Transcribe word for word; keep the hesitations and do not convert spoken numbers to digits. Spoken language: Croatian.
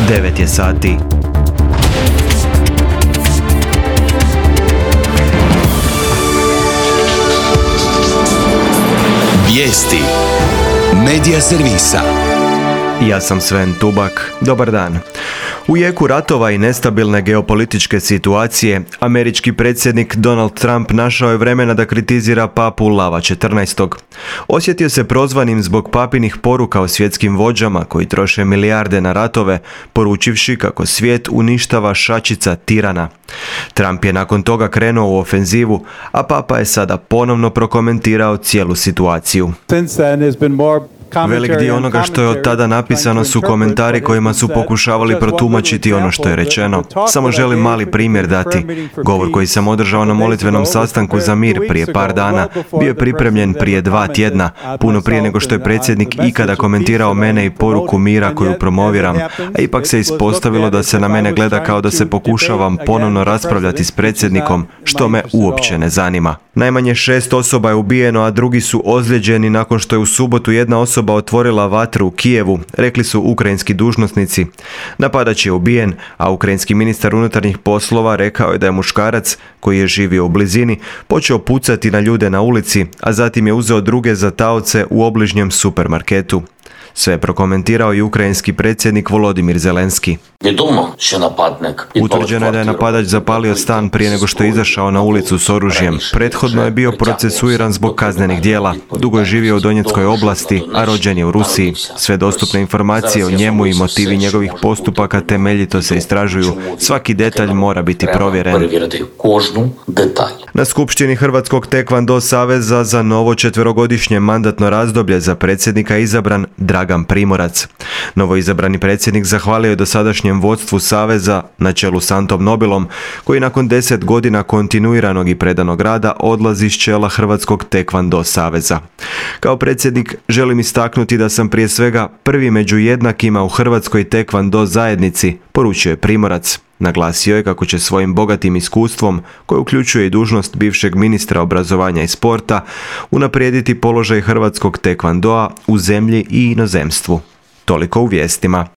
devet je sati. Vijesti Medija servisa. Ja sam Sven Tubak. Dobar dan. U jeku ratova i nestabilne geopolitičke situacije, američki predsjednik Donald Trump našao je vremena da kritizira papu Lava četrnaestog. Osjetio se prozvanim zbog papinih poruka o svjetskim vođama koji troše milijarde na ratove, poručivši kako svijet uništava šačica tirana. Trump je nakon toga krenuo u ofenzivu, a papa je sada ponovno prokomentirao cijelu situaciju. Velik dio onoga što je od tada napisano su komentari kojima su pokušavali protumačiti ono što je rečeno. Samo želim mali primjer dati. Govor koji sam održao na molitvenom sastanku za mir prije par dana bio je pripremljen prije dva tjedna, puno prije nego što je predsjednik ikada komentirao mene i poruku mira koju promoviram, a ipak se ispostavilo da se na mene gleda kao da se pokušavam ponovno raspravljati s predsjednikom, što me uopće ne zanima. Najmanje šest osoba je ubijeno, a drugi su ozlijeđeni nakon što je u subotu jedna osoba otvorila vatru u Kijevu, rekli su ukrajinski dužnosnici. Napadač je ubijen, a ukrajinski ministar unutarnjih poslova rekao je da je muškarac, koji je živio u blizini, počeo pucati na ljude na ulici, a zatim je uzeo druge za taoce u obližnjem supermarketu. Sve je prokomentirao i ukrajinski predsjednik Volodimir Zelenski. Utvrđeno je da je napadač zapalio stan prije nego što je izašao na ulicu s oružjem. Prethodno je bio procesuiran zbog kaznenih djela. Dugo je živio u Donjeckoj oblasti, a rođen je u Rusiji. Sve dostupne informacije o njemu i motivi njegovih postupaka temeljito se istražuju. Svaki detalj mora biti provjeren. Na skupštini Hrvatskog tekvando saveza za novo četverogodišnje mandatno razdoblje za predsjednika je izabran Dragan Primorac. Novoizabrani predsjednik zahvalio je dosadašnjem vodstvu saveza na čelu s Antom Nobilom, koji nakon deset godina kontinuiranog i predanog rada odlazi s čela Hrvatskog tekvando saveza. Kao predsjednik želim istaknuti da sam prije svega prvi među jednakima u Hrvatskoj tekvando zajednici, poručio je Primorac. Naglasio je kako će svojim bogatim iskustvom, koje uključuje i dužnost bivšeg ministra obrazovanja i sporta, unaprijediti položaj hrvatskog tekvandoa u zemlji i inozemstvu. Toliko u vijestima.